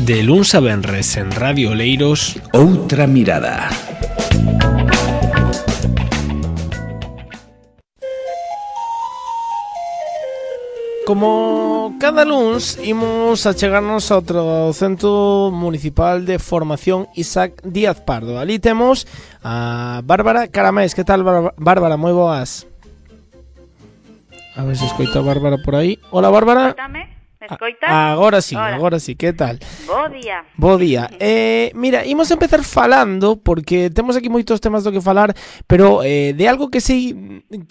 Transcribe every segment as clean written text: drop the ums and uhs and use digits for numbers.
De luns a venres en Radio Oleiros, Outra mirada. Como cada luns, imos a chegarnos a outro Centro Municipal de Formación Isaac Díaz Pardo. Ali temos a Bárbara Caramés. Que tal, Bárbara? Moi boas. A ver se escoita a Bárbara por aí. Hola, Bárbara. Escoitame? Me escoitas? Agora sí, que tal? Bo día. Bo día. Mira, imos empezar falando, porque temos aquí moitos temas do que falar, pero de algo que sei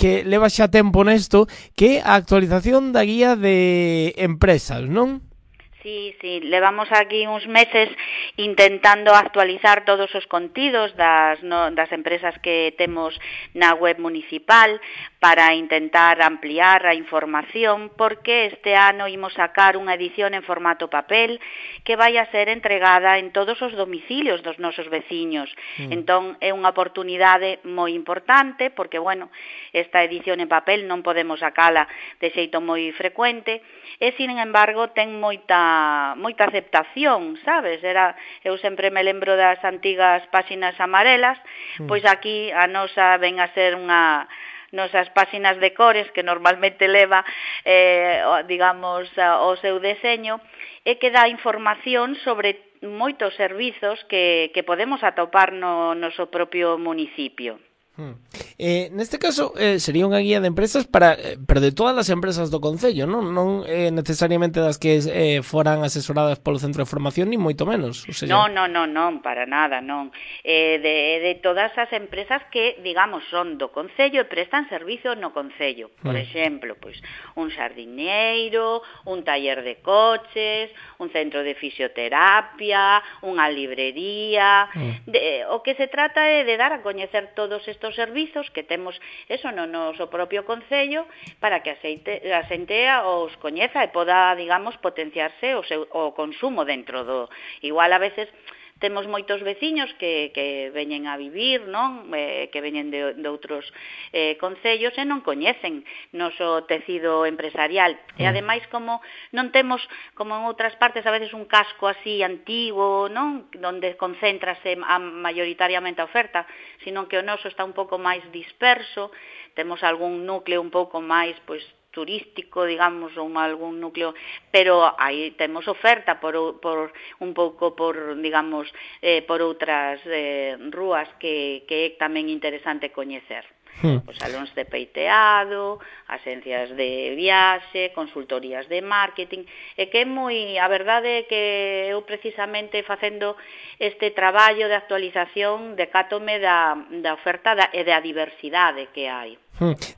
que leva xa tempo nesto, que é a actualización da guía de empresas, non? Sí, levamos aquí uns meses intentando actualizar todos os contidos das empresas que temos na web municipal para intentar ampliar a información, porque este ano imos sacar unha edición en formato papel que vai a ser entregada en todos os domicilios dos nosos veciños. Entón, é unha oportunidade moi importante, porque, bueno, esta edición en papel non podemos sacala de xeito moi frecuente, e, sin embargo, ten moita aceptación, sabes? Eu sempre me lembro das antigas páxinas amarelas, pois aquí a nosa ven a ser nosas páxinas de cores que normalmente leva, digamos, o seu deseño, e que dá información sobre moitos servizos que podemos atopar no noso propio municipio. Neste caso sería unha guía de empresas pero de todas as empresas do concello, non necesariamente das que foran asesoradas polo centro de formación, ni moito menos. O sea, non, para nada, non. De todas as empresas que, digamos, son do concello e prestan servicio no concello. Por exemplo, pois un xardineiro, un taller de coches, un centro de fisioterapia, unha librería. O que se trata é de dar a coñecer todos estos servizos que temos eso no noso propio concello, para que a xente os coñeza e poda, digamos, potenciarse o consumo dentro do... Igual a veces temos moitos veciños que veñen a vivir, non? Que veñen de outros concellos e non coñecen noso tecido empresarial. E ademais, como non temos, como en outras partes, a veces un casco así antigo, non? Donde concéntrase maioritariamente a oferta, sino que o noso está un pouco máis disperso, temos algún núcleo un pouco máis, pois, turístico, digamos, ou algún núcleo, pero aí temos oferta por un pouco por, digamos, por outras rúas que é tamén interesante coñecer. Os salóns de peiteado, agencias de viaxe, consultorías de marketing, e que é moi, a verdade é que eu precisamente facendo este traballo de actualización decátome da oferta e da diversidade que hai.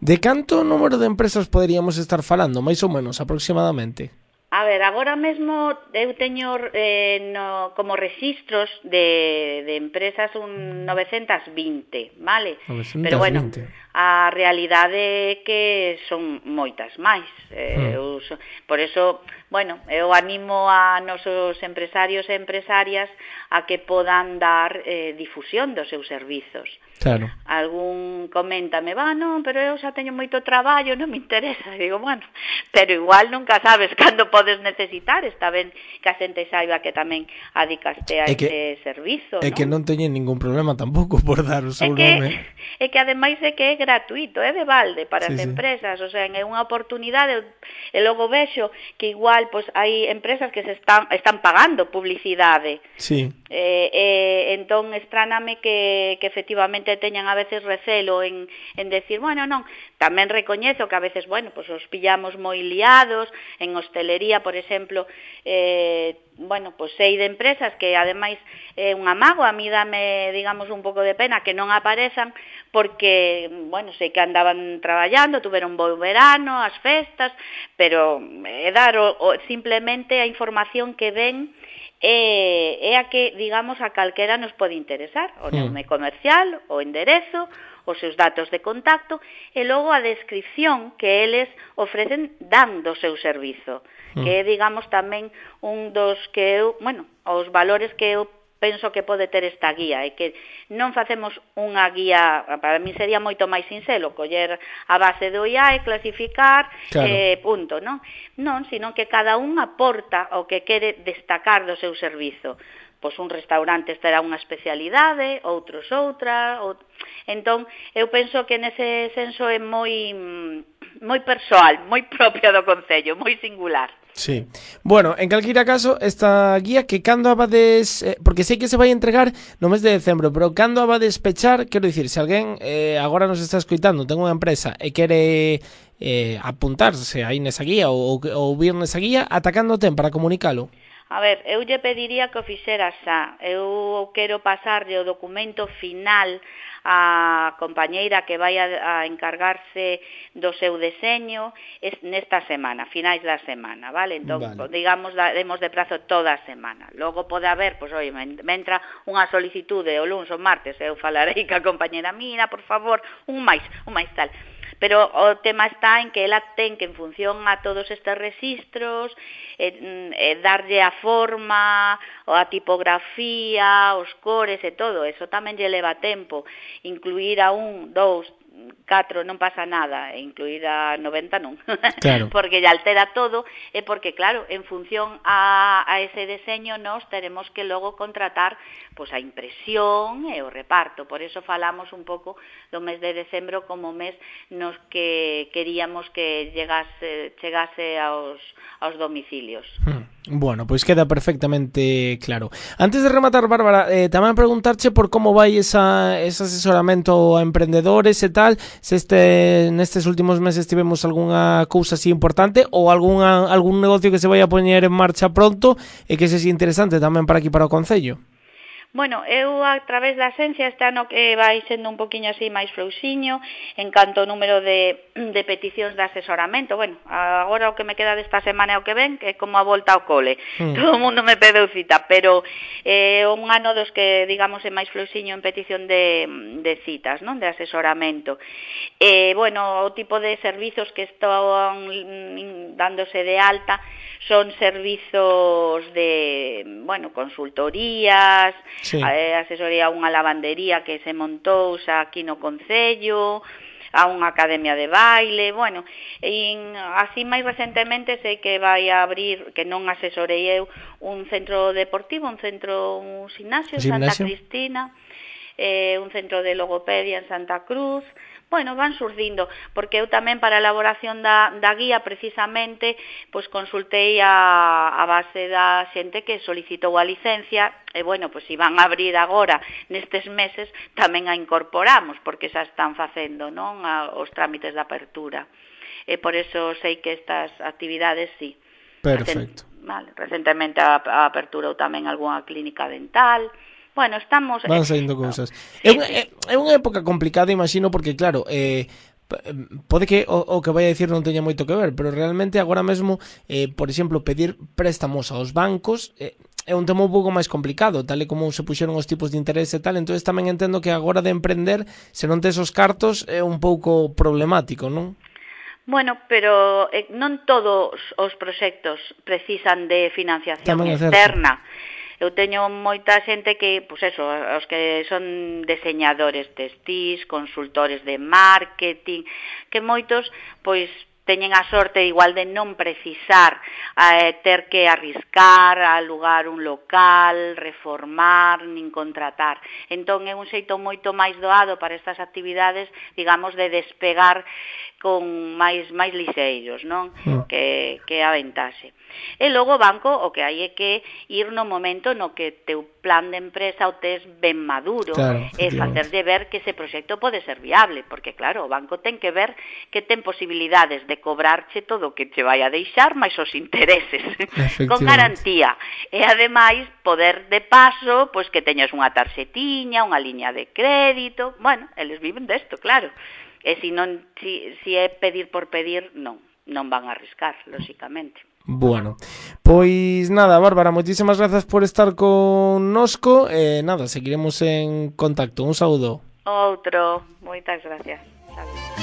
De canto número de empresas poderíamos estar falando, máis ou menos, aproximadamente? A ver, agora mesmo eu teño como registros de empresas un 920, vale? 920. Pero bueno, a realidade é que son moitas máis. Por eso, bueno, eu animo a nosos empresarios e empresarias a que podan dar difusión dos seus servizos. Claro. Algún coméntame, non, pero eu xa teño moito traballo, non me interesa. Digo, bueno, pero igual nunca sabes cando podes necesitar, está ben que a xente saiba que tamén adicaste a ese servizo, non? É que non teñen ningún problema tampouco por dar o seu nome. É que ademais é que é gratuito, é de balde para as empresas, o sea, é unha oportunidade, e logo vexo que igual pois hai empresas que se están pagando publicidade. Sí. Entón estráname que efectivamente teñan a veces recelo en decir, bueno, non, tamén recoñezo que a veces, bueno, pues os pillamos moi liados, en hostelería, por exemplo, bueno, pues sei de empresas que ademais é un amago, a mí dame, digamos, un pouco de pena que non aparezan, porque, bueno, sei que andaban traballando, tuveron bo verano, as festas, pero dar simplemente a información que ven é a que, digamos, a calquera nos pode interesar, o nome comercial, o enderezo, os seus datos de contacto, e logo a descripción que eles ofrecen dando o seu servizo, que é, digamos, tamén un dos que eu, bueno, os valores que eu penso que pode ter esta guía, é que non facemos unha guía, para mí sería moito máis sincero coller a base do IAE, clasificar, punto, non? Non, sino que cada un aporta o que quere destacar do seu servizo. Pois un restaurante terá unha especialidade, outros outra, entón eu penso que nese senso é moi persoal, moi propio do concello, moi singular. Sí. Bueno, en calquera caso, esta guía que cando abades, porque sei que se vai entregar no mes de decembro, pero cando abades pechar, quero dicir, se alguén agora nos está escoitando, ten unha empresa e quere apuntarse aí nesa guía ou vir nesa guía, ata cando ten para comunicalo? A ver, eu lle pediría que o fixera xa. Eu quero pasarlle o documento final a compañeira que vai a encargarse do seu deseño nesta semana, finais da semana, vale? Entón, digamos, demos de prazo toda a semana. Logo pode haber, pois, oi, me entra unha solicitude o luns ou martes, eu falarei ca compañeira, mira, por favor, un máis tal. Pero o tema está en que ela ten que, en función a todos estes registros, darlle a forma, a tipografía, os cores e todo, eso tamén lle leva tempo. Incluir a 1, 2, 4 non pasa nada, e incluir a 90 non, claro. Porque lle altera todo, e porque, claro, en función a ese deseño nós teremos que logo contratar pois a impresión e o reparto. Por eso falamos un pouco do mes de decembro como mes nos que queríamos que chegase aos domicilios. Bueno, pois queda perfectamente claro. Antes de rematar, Bárbara, tamén preguntarche por como vai ese asesoramento a emprendedores e tal, se nestes últimos meses tivemos algunha cousa así importante ou algún negocio que se vai a poñer en marcha pronto e que sexa interesante tamén para aquí, para o concello. Bueno, eu a través da Asencia este ano que vai sendo un poquinho así máis frouxiño en canto ao número de peticións de asesoramento. Bueno, agora o que me queda desta semana e o que ven, que é como a volta ao cole. Todo o mundo me pedeu cita, pero un ano dos que, digamos, é máis frouxiño en petición de citas, non? De asesoramento. Bueno, o tipo de servizos que están dándose de alta son servizos de, bueno, consultorías, sí. Asesoría a unha lavandería que se montou xa aquí no concello, a unha academia de baile, bueno, así máis recentemente sei que vai a abrir, que non asesorei eu, un centro deportivo, un gimnasio en Santa Cristina, un centro de logopedia en Santa Cruz. Bueno, van surdindo, porque eu tamén para a elaboración da guía precisamente pois consultei a base da xente que solicitou a licencia e bueno, pois se van a abrir agora nestes meses tamén a incorporamos, porque xa están facendo, non, os trámites de apertura. E por eso sei que estas actividades sí. Perfecto. Recentemente a aperturou tamén algunha clínica dental. Bueno, estamos... Van saindo cousas. É unha época complicada, imagino, porque claro, pode que o que vai a dicir non teña moito que ver, pero realmente agora mesmo, por exemplo, pedir préstamos aos bancos é un tema un pouco máis complicado, tal e como se puxeron os tipos de interés e tal, entonces tamén entendo que agora de emprender, se non tes os cartos, é un pouco problemático, non? Bueno, pero non todos os proxectos precisan de financiación externa. Eu teño moita xente que, pois eso, os que son diseñadores textís, consultores de marketing, que moitos, pois, teñen a sorte igual de non precisar ter que arriscar, alugar un local, reformar, nin contratar. Entón é un xeito moito máis doado para estas actividades, digamos, de despegar con máis lixeiros, non? Que a ventaxe. E logo o banco o que hai é que ir no momento no que teu plan de empresa o tes ben maduro, claro, e facerlle ver que ese proxecto pode ser viable, porque claro, o banco ten que ver que ten posibilidades de cobrarche todo o que che vai a deixar máis os intereses con garantía, e ademais poder de paso, pois que teñas unha tarxetiña, unha liña de crédito. Bueno, eles viven desto, claro, e se é pedir por pedir, non van a arriscar, lóxicamente. Bueno, pois nada, Bárbara, moitísimas grazas por estar connosco e nada, seguiremos en contacto. Un saúdo. Outro, moitas gracias. Saludos.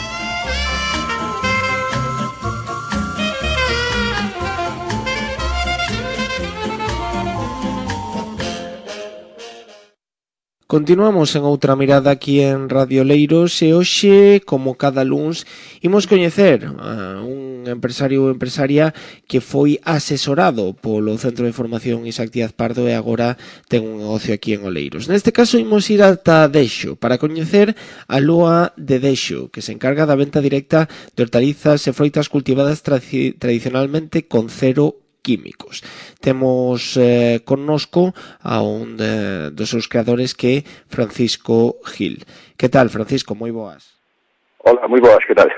Continuamos en outra mirada aquí en Radio Oleiros e hoxe, como cada luns, imos coñecer un empresario ou empresaria que foi asesorado polo Centro de Formación Isaac Díaz Pardo e agora ten un negocio aquí en Oleiros. Neste caso imos ir ata Dexo para coñecer a Loa de Dexo, que se encarga da venta directa de hortalizas e froitas cultivadas tradicionalmente con cero químicos. Temos connosco a un dos seus creadores que é Francisco Gil. Que tal, Francisco? Moi boas. Hola, moi boas, que tal?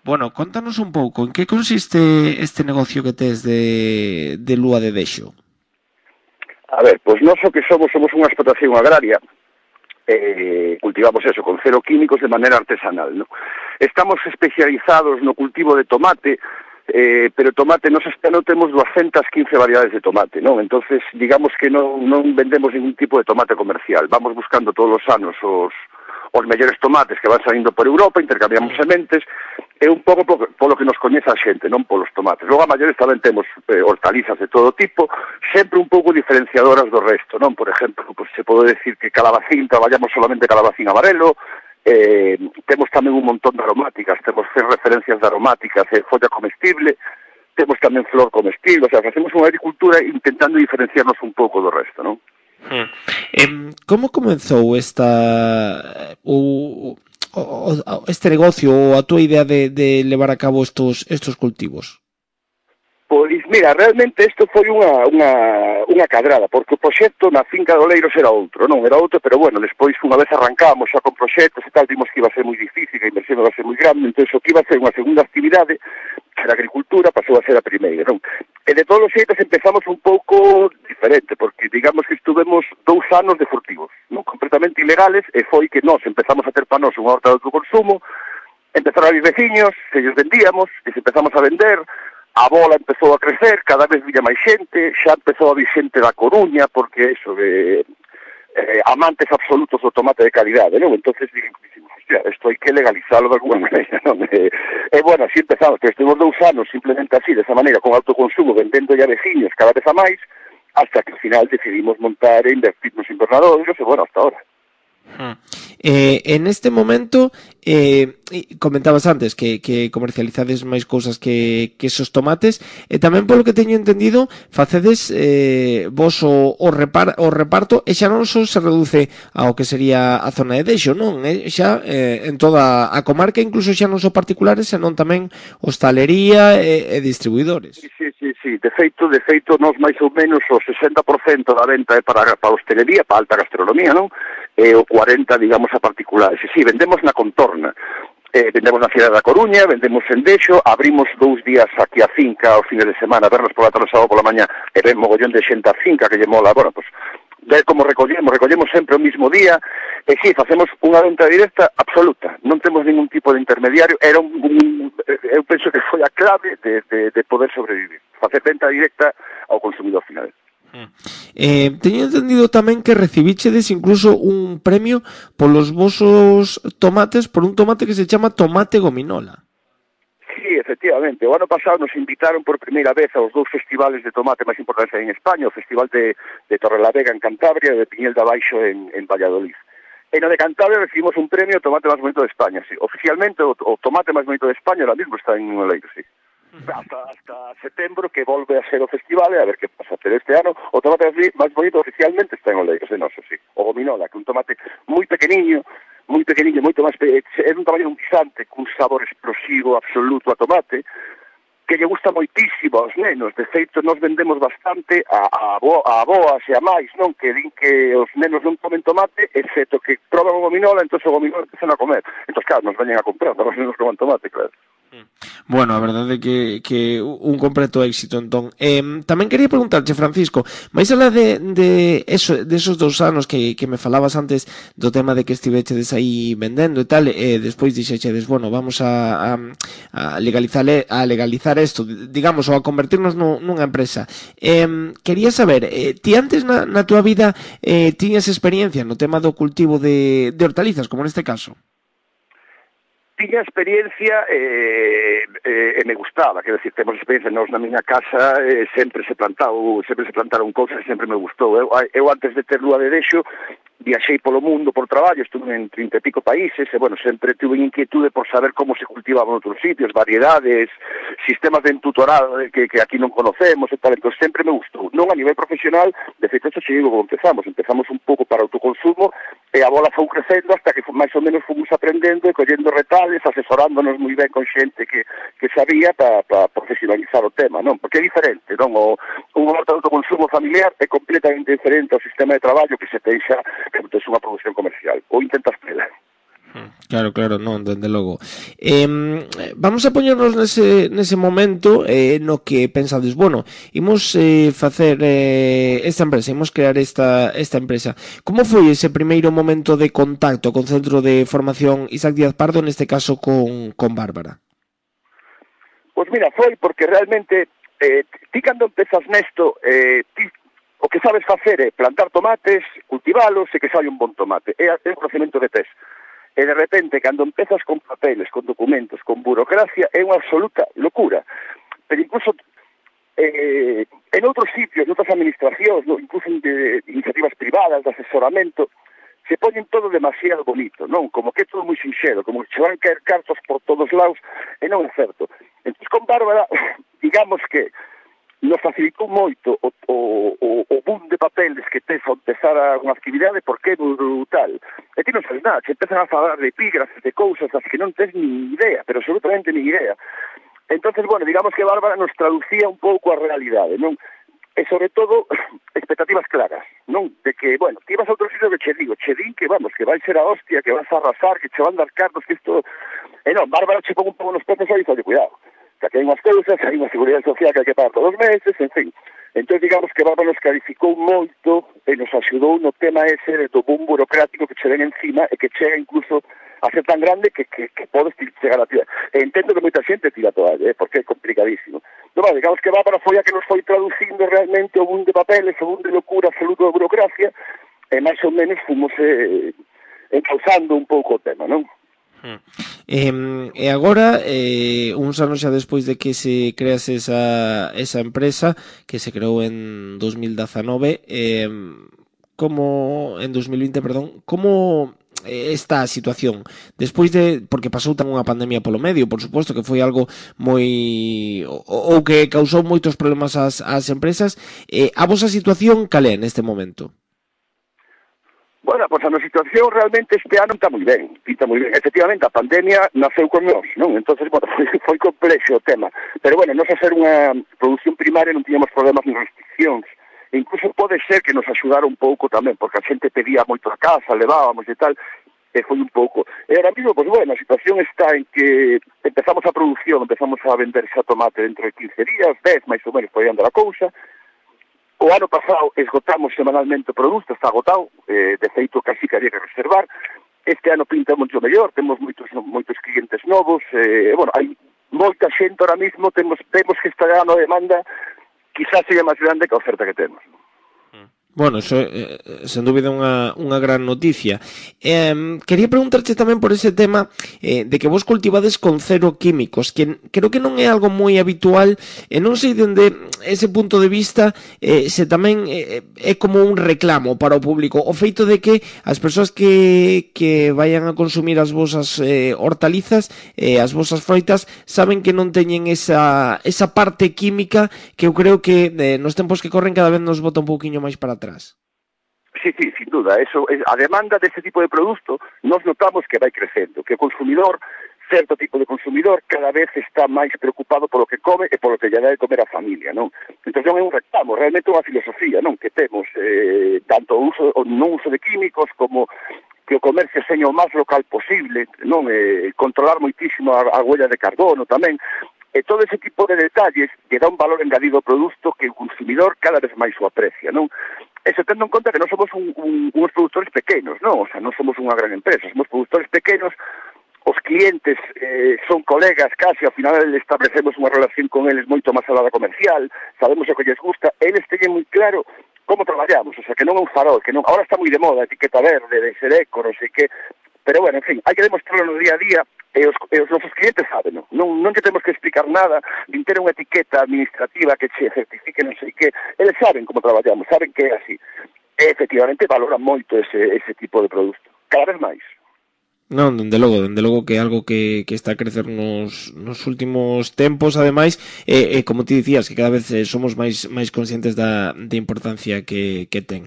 Bueno, contanos un pouco, en que consiste este negocio que tes de Lúa de Dexo? A ver, pois nós o que somos unha explotación agraria, cultivamos eso con cero químicos de maneira artesanal, ¿no? Estamos especializados no cultivo de tomate, pero tomate, nos este ano temos 215 variedades de tomate, non? Entonces, digamos que non vendemos ningún tipo de tomate comercial. Vamos buscando todos os anos os mellores tomates que van saindo por Europa, intercambiamos sementes, é un pouco polo que nos coñece a xente, non polos tomates. Logo, a maiores tamén temos hortalizas de todo tipo, sempre un pouco diferenciadoras do resto, non? Por exemplo, pues, se pode decir que calabacín, traballamos solamente calabacín amarelo, temos tamén un montón de aromáticas, temos 6 referencias de aromáticas, folla comestible, temos tamén flor comestible, o sea, facemos unha agricultura intentando diferenciarnos un pouco do resto, non? Como comenzou este negocio ou a túa idea de levar a cabo estos cultivos? Pois, mira, realmente isto foi unha cadrada, porque o proxecto na finca de Oleiros era outro, pero bueno, despois unha vez arrancamos xa con proxectos e tal, vimos que iba a ser moi difícil, que a inversión iba a ser moi grande, entón o que iba a ser unha segunda actividade, que era a agricultura, pasou a ser a primeira, non? E de todos os xeitos empezamos un pouco diferente, porque digamos que estuvemos 2 anos de furtivos, non? Completamente ilegales, e foi que nós empezamos a ter para nós unha horta de autoconsumo, empezaron a vir veciños, que ellos vendíamos, que se empezamos a vender. A bola empezou a crecer, cada vez villa máis xente, xa empezou a vir xente da Coruña, porque eso, amantes absolutos do tomate de calidade, non? Entonces dixemos, hostia, isto hai que legalizarlo de alguna maneira, non? E bueno, así empezamos, que estuvimos 2 anos simplemente así, desa maneira, con autoconsumo, vendendo ya veciños cada vez a máis, hasta que ao final decidimos montar e invertir nos invernadoiros, e bueno, hasta ahora. En este momento comentabas antes que comercializades máis cousas que esos tomates e tamén polo que teño entendido facedes vos o reparto e xa non só se reduce ao que sería a zona de Dexo, non? Xa en toda a comarca, incluso xa non só particulares, senón tamén hostalería e distribuidores. Sí, de feito, nós máis ou menos o 60% da venta é para hostelería, para alta gastronomía, non? E o 40%, digamos, a particulares. E sí, vendemos na contorna. Vendemos na cidade da Coruña, vendemos en Dexo, abrimos 2 días aquí a finca aos fines de semana, vernos pola tarde, sábado pola mañá, e ven mogollón de xente a finca que lle mola. Bueno, pues, ver como recollemos sempre o mismo día, e sí, facemos unha venta directa absoluta, non temos ningún tipo de intermediario, eu penso que foi a clave de poder sobrevivir, facer venta directa ao consumidor final. Teño entendido tamén que recibichedes incluso un premio polos vosos tomates, por un tomate que se chama tomate gominola. Sí, efectivamente. O ano pasado nos invitaron por primeira vez aos 2 festivales de tomate máis importantes en España, o Festival de Torrelavega en Cantabria e de Piñel de Abaixo en Valladolid. E no de Cantabria recibimos un premio tomate máis bonito de España, sí. Oficialmente o tomate máis bonito de España ahora mismo está en Oleiros, sí. Hasta setembro que volve a ser o festival e a ver que pasa, pero este ano o tomate máis bonito oficialmente está en Oleiros, é noso, sí. O gominola, que é un tomate moi pequeniño, moito máis é un tamaño un guisante, cun sabor explosivo absoluto a tomate, que lle gusta moitísimo aos nenos. De feito, nos vendemos bastante a aboas e a máis, non? Que din que os nenos non comen tomate, excepto que proban o gominola, entón o gominola empezan a comer. Entón, claro, nos veñen a comprar, os nenos coman tomate, claro. Bueno, a verdade é que un completo éxito, entón. Tamén quería preguntarche, Francisco, máis alá de esos 2 anos que me falabas antes do tema de que estivechedes aí vendendo e tal, despois dixechedes, bueno, vamos a legalizar isto, digamos, ou a convertirnos nunha empresa. Quería saber, ti antes na túa vida tiñas experiencia no tema do cultivo de hortalizas, como neste caso? Tiña experiencia e me gustaba, quero dicir, temos experiencia nós na miña casa, sempre se plantaron cousas e sempre me gustou. Eu antes de ter Lúa de Dexo viaxei polo mundo por traballo, estuve en 30 e pico países, e, bueno, sempre tuve inquietude por saber como se cultivaban outros sitios, variedades, sistemas de entutorado que aquí non conocemos e tal, entón sempre me gustou. Non a nivel profesional, de feito, xe digo como empezamos un pouco para autoconsumo, e a bola foi crecendo hasta que máis ou menos fomos aprendendo e collendo retales, asesorándonos moi ben con xente que sabía para profesionalizar o tema, non? Porque é diferente, non? Un horta de autoconsumo familiar é completamente diferente ao sistema de traballo que se pensa que tes unha produción comercial, ou intentas tela. Claro, non, dende logo. Vamos a poñernos nese momento no que pensades, bueno, imos facer esta empresa, imos crear esta empresa. Como foi ese primeiro momento de contacto con Centro de Formación Isaac Díaz Pardo, neste caso con Bárbara? Pois mira, foi porque realmente ti cando empezas nesto, ti o que sabes facer é plantar tomates, cultivalos e que saia un bon tomate. É un procedimento de test. E de repente, cando empezas con papeles, con documentos, con burocracia, é unha absoluta locura. Pero incluso en outros sitios, en outras administracións, incluso de iniciativas privadas, de asesoramento, se poñen todo demasiado bonito, non? Como que é todo moi sinxero, como que se van caer cartos por todos lados, e non é certo. Entón, con Bárbara, digamos que nos facilitou moito o boom de papeles que tes ao empezar unha actividade porque é brutal. E ti non sabes nada, se empezan a falar de epígrafes, de cousas das que non tes ni idea, pero absolutamente ni idea. Entonces, bueno, digamos que Bárbara nos traducía un pouco a realidade, non? E sobre todo, expectativas claras, non? De que, bueno, ti vas a outro sitio que che din que, vamos, que vai ser a hostia, que vas a arrasar, que che van dar cartos, que isto... E non, Bárbara che pon un pouco nos pezos e dice, cuidado, que hai unhas cousas, hai unha seguridade social que hai que pagar todos os meses, en fin. Entón, digamos que Bárbara nos clarificou moito e nos axudou no tema ese do boom burocrático que che ven encima e que chega incluso a ser tan grande que podes chegar a tirar. E entendo que moita xente tira a toalla, porque é complicadísimo. No, vale, digamos que Bárbara foi a que nos foi traducindo realmente o boom de papeles, o boom de locura absoluto de burocracia, e máis ou menos fomos encauzando un pouco o tema, non? E agora, uns anos xa despois de que se crease esa empresa, que se creou en 2019, como en 2020, perdón, como está a situación despois de, porque pasou tan unha pandemia polo medio, por suposto que foi algo moi ou que causou moitos problemas ás empresas, a vosa situación cal é neste momento? Bueno, pois a nosa situación realmente este ano está moi ben, pinta moi ben. Efectivamente, a pandemia naceu con nós, non? Entonces, bueno, foi complexo o tema. Pero, bueno, nós a ser unha produción primaria non tiñamos problemas ni restriccións. E incluso pode ser que nos axudara un pouco tamén, porque a xente pedía moito a casa, levábamos e tal, e foi un pouco. E ahora mismo, pois, bueno, a situación está en que empezamos a producción, empezamos a vender xa tomate dentro de 15 días, 10, máis ou menos, por aí anda a cousa. O ano pasado esgotamos semanalmente o produto, está agotado, de feito casi que había que reservar. Este ano pinta moito mellor, temos moitos clientes novos, bueno, hai moita xente ahora mismo, temos que este ano a demanda quizás seja máis grande que a oferta que temos. Bueno, eso sen dúbida unha gran noticia. Quería preguntarche tamén por ese tema de que vos cultivades con cero químicos, que creo que non é algo moi habitual, e non sei dende ese punto de vista se tamén é como un reclamo para o público, o feito de que as persoas que vayan a consumir as vosas hortalizas, as vosas froitas, saben que non teñen esa parte química que eu creo que nos tempos que corren cada vez nos bota un pouquiño máis para atrás. Sí, sin duda, eso, a demanda deste tipo de produto nos notamos que vai crecendo, que o consumidor, certo tipo de consumidor, cada vez está máis preocupado polo que come e polo que lle dá de comer a familia, non? Entón non é un reclamo, realmente unha filosofía, non? Que temos tanto o non uso de químicos como que o comercio seña o máis local posible, non? Controlar moitísimo a huella de carbono tamén. E todo ese tipo de detalles que dá un valor engadido ao produto que o consumidor cada vez máis o aprecia, non? E se tendo en conta que non somos uns produtores pequenos, non? O sea, non somos unha gran empresa, somos produtores pequenos, os clientes son colegas casi, ao final establecemos unha relación con eles moito máis alá da comercial, sabemos o que lles gusta, eles teñen moi claro como traballamos, o sea, que non é un farol, que non, ahora está moi de moda, etiqueta verde, de ser eco, non sei que, pero bueno, en fin, hai que demostrarlo no día a día, e os nosos clientes saben, non que temos que explicar nada, nin ter unha etiqueta administrativa que che certifique non sei que, eles saben como traballamos, saben que é así. efectivamente valoran moito ese tipo de produto, cada vez máis. Non, dende logo que é algo que está a crecer nos últimos tempos, ademais, como ti dicías, que cada vez somos máis conscientes da importancia que ten.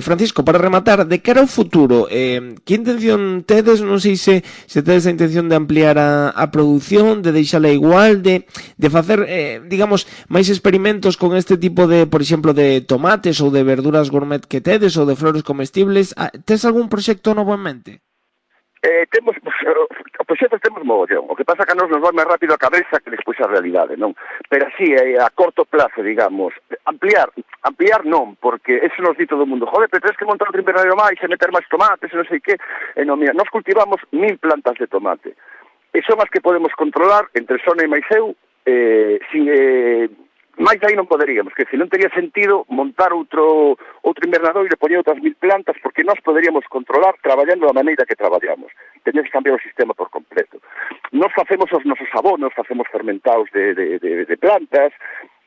Francisco, para rematar, de cara ao futuro, que intención tedes? Non sei se tedes a intención de ampliar a produción, de deixala igual, de facer, digamos, máis experimentos con este tipo de, por exemplo, de tomates ou de verduras gourmet que tedes, ou de flores comestibles. Tes algún proxecto novo en mente? Temos proxectos, temos mogollón. O que pasa que a nos vai máis rápido a cabeza que despois a realidade, non? Pero así, a corto plazo, digamos, ampliar non, porque eso nos di todo o mundo. Joder, pero tens que montar outro invernadeiro máis e meter máis tomates e non sei que. Non, mira, nos cultivamos 1000 plantas de tomate. E son as que podemos controlar entre Sona e máis eu, sin... máis aí non poderíamos, que se non teria sentido montar outro invernadoiro e poñer outras 1000 plantas, porque nós poderíamos controlar traballando da maneira que traballamos. Teníamos que cambiar o sistema por completo. Nós facemos os nosos abonos, facemos fermentados de plantas.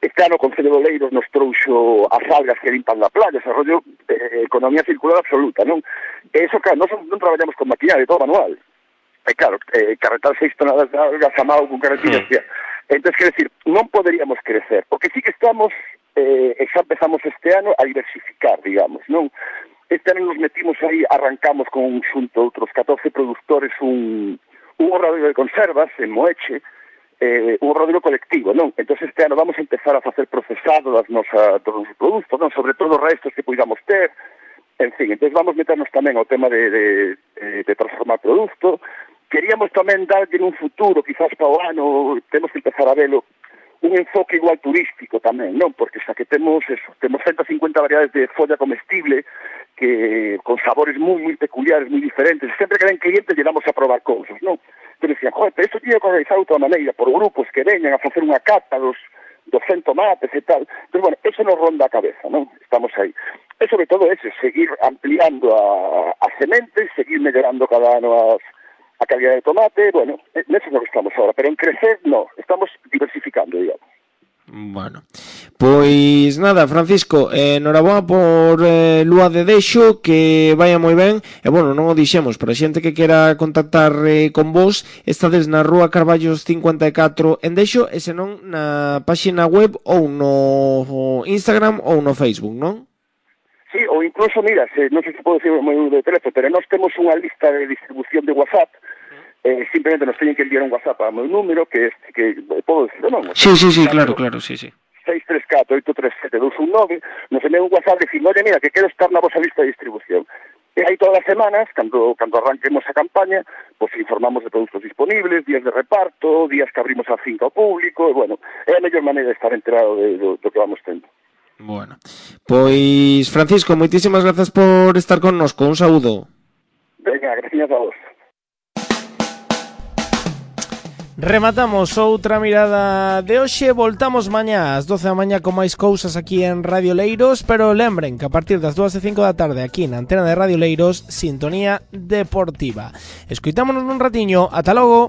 Este ano o Concello de Oleiros nos trouxo as algas que limpan na playa, ese rollo economía circular absoluta, non? E iso, claro, nós non traballamos con maquinaria, todo manual. E claro, carretar 6 toneladas de algas a mao con carretillas, entonces, quero decir, non poderíamos crecer, porque sí que estamos, xa empezamos este ano a diversificar, digamos, non? Este ano nos metimos aí, arrancamos con xunto outros 14 produtores un obradoiro de conservas en Moeche, un obradoiro colectivo, non? Entonces este ano vamos a empezar a facer procesado dos nosos produtos, non? Sobre todo os restos que podamos ter, en fin, entonces vamos meternos tamén ao tema de transformar produto. Queríamos tamén darlle un futuro, quizás para o ano, temos que empezar a velo, un enfoque igual turístico tamén, non? Porque xa que temos 150 variedades de folla comestible que con sabores moi peculiares, moi diferentes, sempre que ven clientes lle damos a probar cousas, non? Pero decían, joder, pero isto tiña que organizar de outra maneira, por grupos que veñan a facer unha cata dos 100 tomates e tal. Pero bueno, eso nos ronda a cabeza, non? Estamos aí. E sobre todo ese, seguir ampliando as sementes, seguir mellorando cada ano a calidad de tomate, bueno, neso no que estamos ahora, pero en crecer no, estamos diversificando, digamos. Bueno, pois nada, Francisco, enhoraboa por Lúa de Deixo, que vaya moi ben. E bueno, non o dixemos, para a xente que quera contactar con vos, estades na Rúa Carballos 54 en Deixo, e senón na páxina web ou no Instagram ou no Facebook, non? Sí, ou incluso, mira, non sei se podo decir o meu número de teléfono, pero nós temos unha lista de distribución de WhatsApp. Simplemente nos teñen que enviar un WhatsApp ao meu número, que podo decir, non? Sí, claro, sí. 634-837-219, nos envían un WhatsApp dicindo, oye, mira, que quero estar na vosa lista de distribución. E aí todas as semanas, cando arranquemos a campaña, pues informamos de produtos disponibles, días de reparto, días que abrimos a finca ao público, e bueno, é a mellor maneira de estar enterado do que vamos tendo. Bueno, pois Francisco, moitísimas grazas por estar connosco, un saúdo. Venga, gracias a vos. Rematamos outra mirada de hoxe, voltamos mañá ás 12 da mañá con máis cousas aquí en Radio Leiros, pero lembren que a partir das 2:05 da tarde aquí na antena de Radio Leiros, Sintonía Deportiva. Escoitámonos nun ratiño, ata logo.